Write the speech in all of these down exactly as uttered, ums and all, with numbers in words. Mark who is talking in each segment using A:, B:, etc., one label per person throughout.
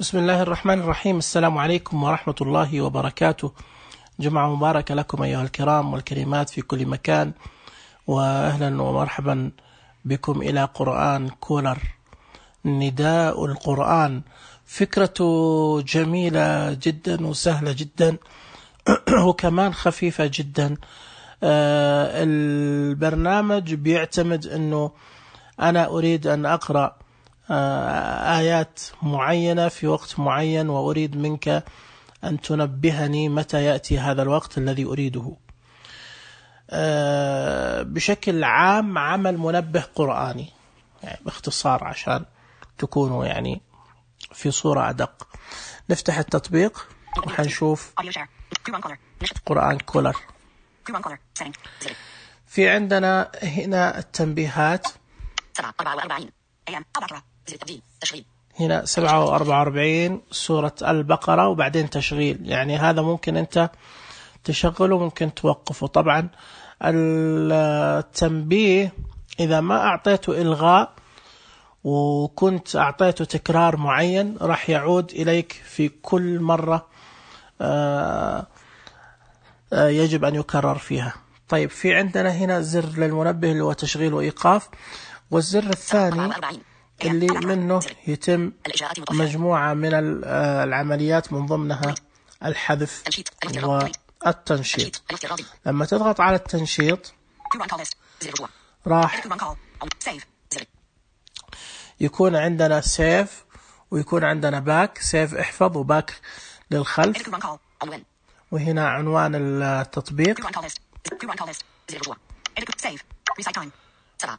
A: بسم الله الرحمن الرحيم. السلام عليكم ورحمة الله وبركاته. جمعة مباركة لكم أيها الكرام والكريمات في كل مكان، وأهلا ومرحبا بكم إلى قرآن كولر. نداء القرآن فكرة جميلة جدا وسهلة جدا وكمان خفيفة جدا. آه البرنامج بيعتمد أنه أنا أريد أن أقرأ آه آيات معينة في وقت معين، وأريد منك أن تنبهني متى يأتي هذا الوقت الذي أريده. آه بشكل عام عمل منبه قرآني، يعني باختصار عشان تكونوا يعني في صورة أدق. نفتح التطبيق وحنشوف قرآن كولر. في عندنا هنا التنبيهات، هنا سبعة وأربعة وأربعين سورة البقرة وبعدين تشغيل، يعني هذا ممكن أنت تشغله ممكن توقفه. طبعا التنبيه إذا ما أعطيته إلغاء وكنت أعطيته تكرار معين راح يعود إليك في كل مرة يجب أن يكرر فيها. طيب في عندنا هنا زر للمنبه اللي هو تشغيل وإيقاف، والزر الثاني اللي منه يتم مجموعة من العمليات من ضمنها الحذف والتنشيط. لما تضغط على التنشيط راح يكون عندنا سيف ويكون عندنا باك. سيف احفظ وباك للخلف، وهنا عنوان التطبيق،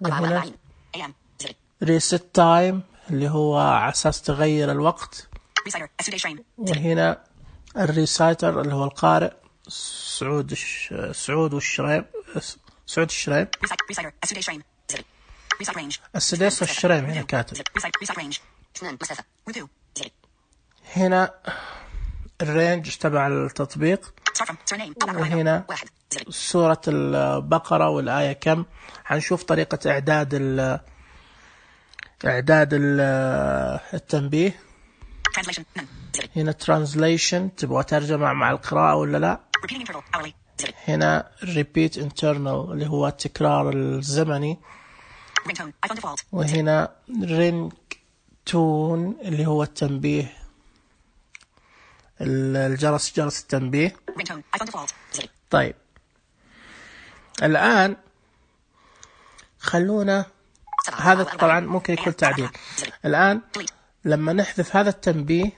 A: وهنا ريست تايم اللي هو على أساس تغير الوقت، وهنا الريسايتر اللي هو القارئ سعود سعود والشريم سعود الشريم السديس والشريم هنا كاتب. هنا الرينج تبع التطبيق، وهنا سورة البقرة والآية كم. حنشوف طريقة إعداد ال إعداد التنبيه. هنا translation تبغى ترجمة مع القراءة ولا لا. هنا repeat internal اللي هو التكرار الزمني، وهنا ring tone اللي هو التنبيه الجرس جرس التنبيه. طيب الآن خلونا، هذا طبعا ممكن يكون تعديل. الآن لما نحذف هذا التنبيه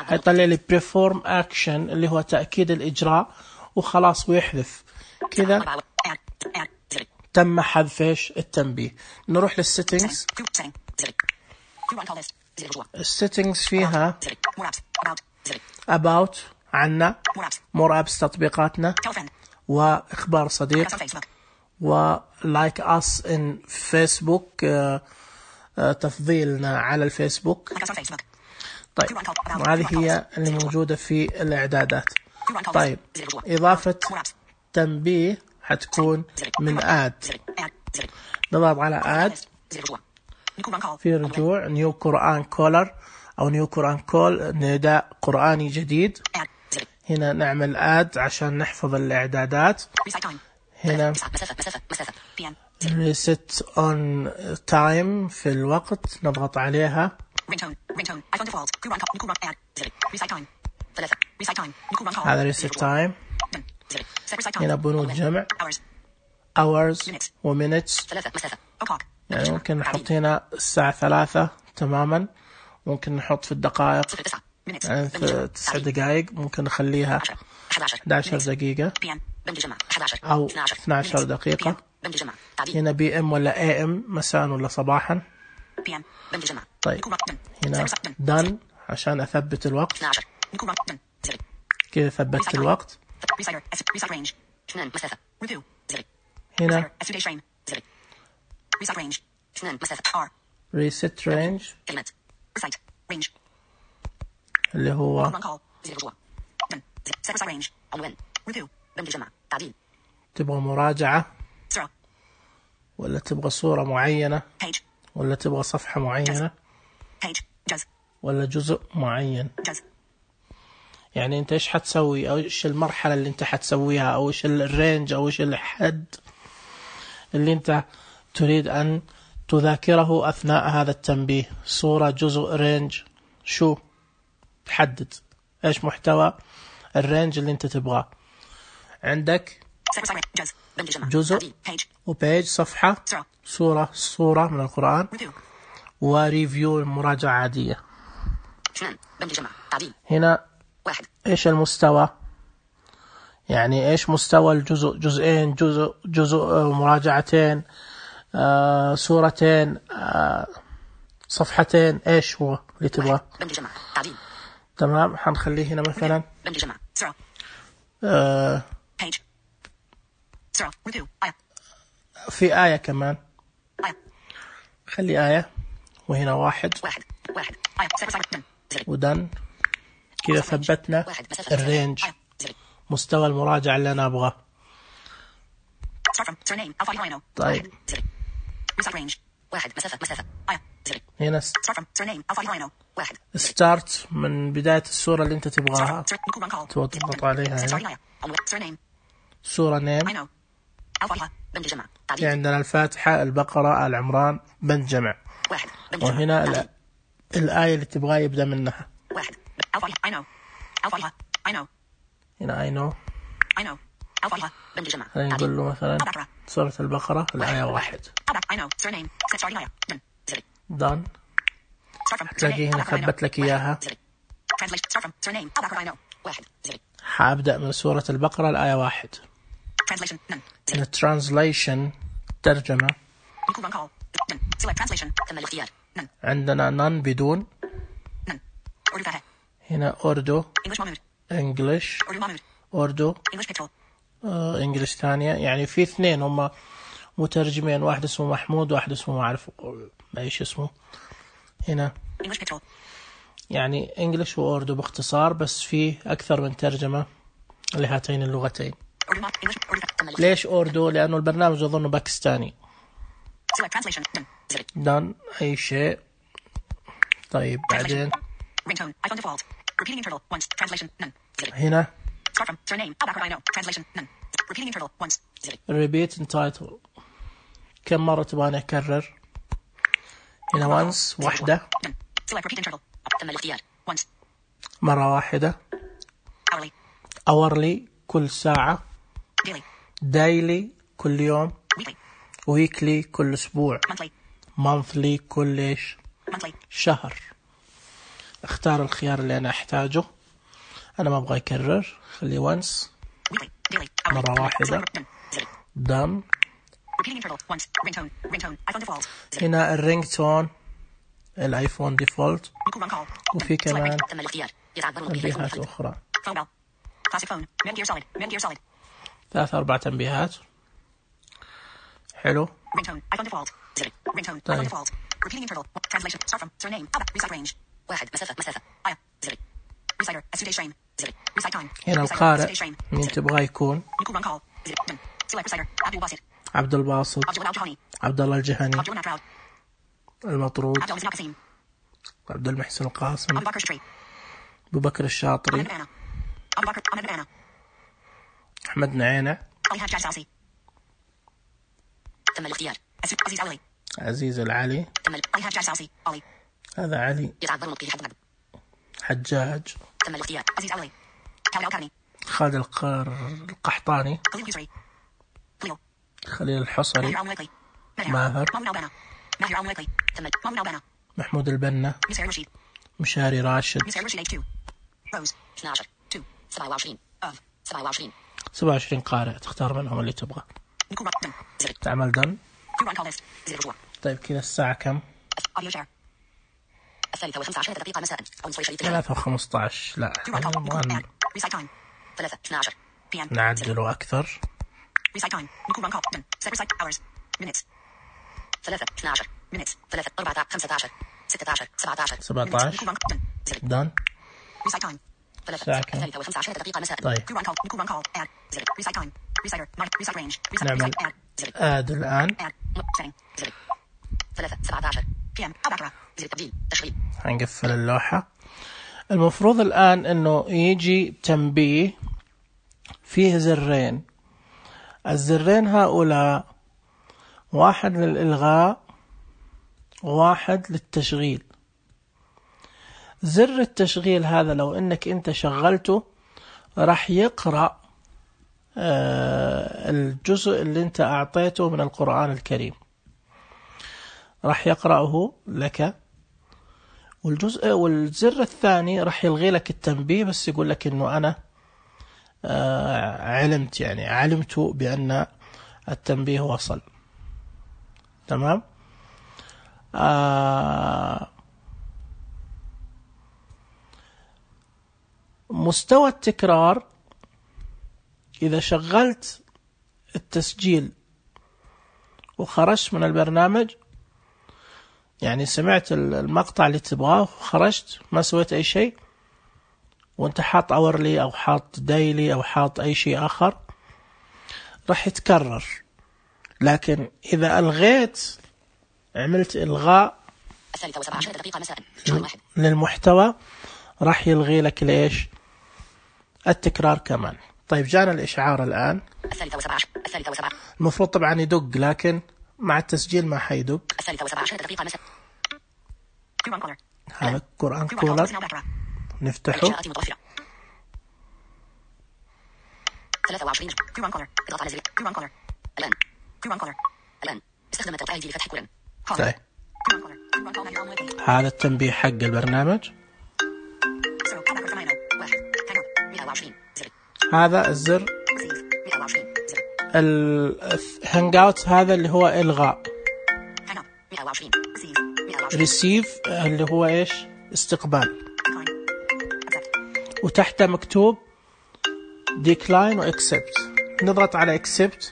A: هيطلع لي perform action اللي هو تأكيد الإجراء وخلاص ويحذف كذا. تم حذف ايش التنبيه. نروح للسيتنجز. السيتنجز فيها about عنا، more apps تطبيقاتنا، وإخبار صديق، و like us in Facebook تفضيلنا على الفيسبوك. طيب وهذه هي اللي موجودة في الإعدادات. طيب إضافة تنبيه حتكون من add. نضغط على add في رجوع نيو قرآن كولر أو نيو قرآن كول، نداء قرآني جديد. هنا نعمل add عشان نحفظ الإعدادات. هنا reset on time في الوقت نضغط عليها. هذا reset time. هنا بنود جمع hours و minutes، يعني ممكن نحط هنا الساعة ثلاثة تماما، ممكن نحط في الدقائق يعني في تسع دقائق، ممكن نخليها أحد عشر دقيقة أو اثنتي عشرة دقيقة. هنا بي ام ولا اي ام، مساء ولا صباحا. طيب هنا done عشان أثبت الوقت، كذا ثبت الوقت. هنا reset range اللي هو تبغى مراجعة ولا تبغى صورة معينة ولا تبغى صفحة معينة. ولا جزء معين؟ يعني انت ايش حتسوي، او ايش المرحلة اللي انت حتسويها، او ايش الرينج، او ايش الحد اللي انت تريد ان تذاكره اثناء هذا التنبيه؟ صورة، جزء، رينج، شو تحدد ايش محتوى الرينج اللي انت تبغاه. عندك جزء وبيج، صفحة، سورة، صورة من القرآن، وريفيو، مراجعة عادية. هنا ايش المستوى، يعني ايش مستوى الجزء، جزئين، جزء جزء مراجعتين، آه، سورتين، آه، صفحتين، ايش هو اللي تبغاه؟ تمام. حنخليه هنا مثلا آه في آية كمان، خلي آية، وهنا واحد ودن كذا. ثبتنا الرينج، مستوى المراجعة اللي أنا أبغاه. طيب هنا ستارت من بداية السورة اللي أنت تبغاها، تضغط عليها هنا. سورة نيم، عندنا الفاتحة، البقرة، آل عمران، بنت جمع. وهنا الآية اللي تبغاه يبدأ منها. هنا I know. نقول له مثلا سورة البقرة الآية واحد. done. تلاقيه هنا ثبت لك إياها. حابدأ من سورة البقرة الآية واحد. هنا translation، ترجمة. عندنا none، بدون. هنا أوردو، English، أوردو، إنجليش ثانية. يعني في اثنين هم مترجمين، واحد اسمه محمود، واحد اسمه ما أعرف ايش اسمه. هنا يعني إنجليش وأوردو باختصار، بس في أكثر من ترجمة لهاتين اللغتين. ليش أوردو؟ لأنه البرنامج أظنه باكستاني. دان أي شيء. طيب بعدين هنا repeat and title، كم مرة تبغاني أكرر؟ هنا once، واحدة، مرة واحدة. hourly، كل ساعة. daily، كل يوم. weekly، كل أسبوع. monthly، كل إيش؟ شهر. اختار الخيار اللي أنا أحتاجه. أنا ما أبغى أكرر، خلي once، مرة واحدة. done. هنا الرينج تون، الآيفون ديفولت، وفي كمان تنبيهات أخرى، ثلاث أربع تنبيهات. حلو. طيب هنا القارئ مين تبغى يكون؟ عبد الباسط، عبد الله الجهني، المطرود، عبد المحسن القاسم، أبو بكر الشاطري، أحمد نعينة، عزيز العلي، هذا علي، حجاج، خالد القحطاني، خليل الحصري، ماهر، محمود البنا، مشاري راشد. سبعة وعشرين قارئ، تختار منهم اللي تبغى. تعمل دن. طيب كذا الساعة كم؟
B: الثالثة وخمسة عشر دقيقة مساء.
A: ثلاثة وخمسة عشر. لا نعدله أكثر.
B: ثلاثة اثنا عشر minutes. ثلاثة أربعة خمسة عشر ستة عشر سبعة عشر
A: سبعة عشر. دان.
B: الثالثة الثالثة وخمسة عشر دقيقة مساء.
A: طيب نعمل آد الآن.
B: ثلاثة سبعة عشر بي ام أو باكرة زر التبديل تشغيل
A: هنقفل اللوحة. المفروض الآن إنه يجي تنبيه فيه زرين. الزرين هؤلاء واحد للإلغاء وواحد للتشغيل. زر التشغيل هذا لو إنك أنت شغلته راح يقرأ الجزء اللي أنت أعطيته من القرآن الكريم، راح يقرأه لك. والجزء والزر الثاني راح يلغي لك التنبيه، بس يقول لك إنه أنا علمت، يعني علمت بأن التنبيه وصل. تمام. آه مستوى التكرار، إذا شغلت التسجيل وخرجت من البرنامج، يعني سمعت المقطع اللي تبغاه وخرجت ما سويت أي شيء، وانت حاط أورلي أو حاط دايلي أو حاط أي شيء آخر، راح يتكرر. لكن إذا ألغيت، عملت إلغاء
B: الثالثة وسبع عشرة دقيقة مساء شهر واحد
A: للمحتوى، راح يلغي لك ليش التكرار كمان. طيب جانا الإشعار الآن.
B: الثالثة وسبع عشرة الثالثة وسبع
A: المفروض طبعا يدق، لكن مع التسجيل ما حيدق.
B: الثالثة وسبع عشرة دقيقة مساء.
A: هذا قرآن كولر، نفتحه.
B: الإنشاءات متوفرة. ثلاثة وعشرين قرآن كولر. اضغط على زر قرآن كولر. الآن قرآن كولر. الآن استخدم التوقيع لفتح كولن.
A: طيب هذا التنبيه حق البرنامج. هذا الزر الهانج اوت، هذا اللي هو إلغاء. ريسيف اللي هو إيش؟ استقبال. وتحته مكتوب decline و accept. نضغط على accept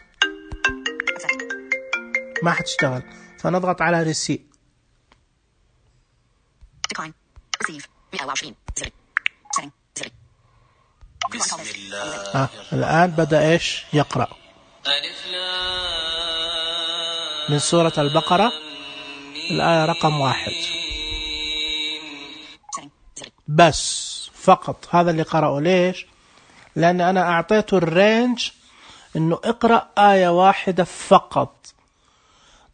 A: ما حتشتغل، فنضغط على ريسيف.
C: بسم الله.
A: آه. الآن بدأ إيش يقرأ من سورة البقرة الآية رقم واحد بس فقط. هذا اللي قرأه. ليش؟ لأن أنا أعطيته الرينج إنه اقرأ آية واحدة فقط.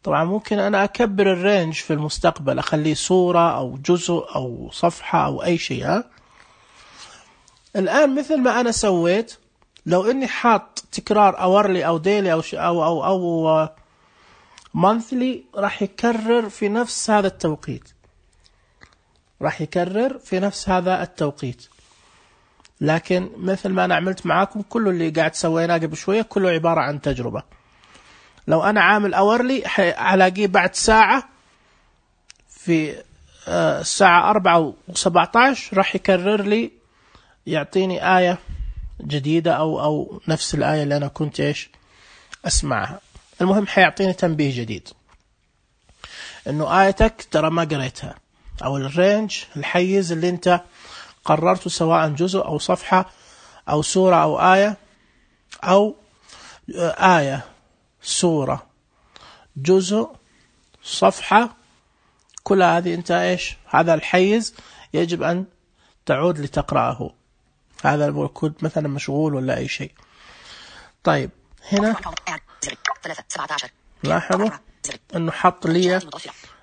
A: طبعا ممكن أنا أكبر الرينج في المستقبل، أخليه سورة أو جزء أو صفحة أو أي شيء. ها؟ الآن مثل ما أنا سويت، لو إني حاط تكرار أورلي أو ديلي أو أو أو, أو مانثلي، راح يكرر في نفس هذا التوقيت. راح يكرر في نفس هذا التوقيت. لكن مثل ما أنا عملت معاكم، كله اللي قاعد سويناه قبل شوية كله عبارة عن تجربة. لو أنا عامل أورلي ألاقيه بعد ساعة في الساعة أربعة وسبعة عشر راح يكرر لي، يعطيني آية جديدة أو أو نفس الآية اللي أنا كنت إيش أسمعها. المهم حيعطيني تنبيه جديد إنه آيتك ترى ما قريتها، أو الرينج الحيز اللي أنت قررته، سواء جزء أو صفحة أو سورة أو آية أو آية سورة جزء صفحة، كل هذه أنت إيش هذا الحيز يجب أن تعود لتقرأه. هذا الكود مثلا مشغول ولا أي شيء. طيب هنا لاحظوا أنه حط لي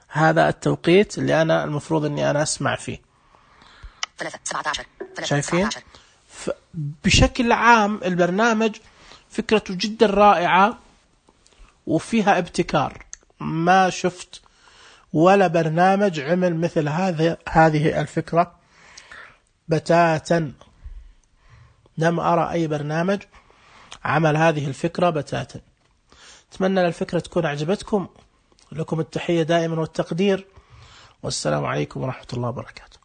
A: هذا التوقيت اللي أنا المفروض أني أنا أسمع فيه. شايفين؟ بشكل عام البرنامج فكرته جدا رائعة وفيها ابتكار. ما شفت ولا برنامج عمل مثل هذه هذه الفكرة بتاتا. لم أرى أي برنامج عمل هذه الفكرة بتاتا. أتمنى الفكرة تكون أعجبتكم. لكم التحية دائما والتقدير، والسلام عليكم ورحمة الله وبركاته.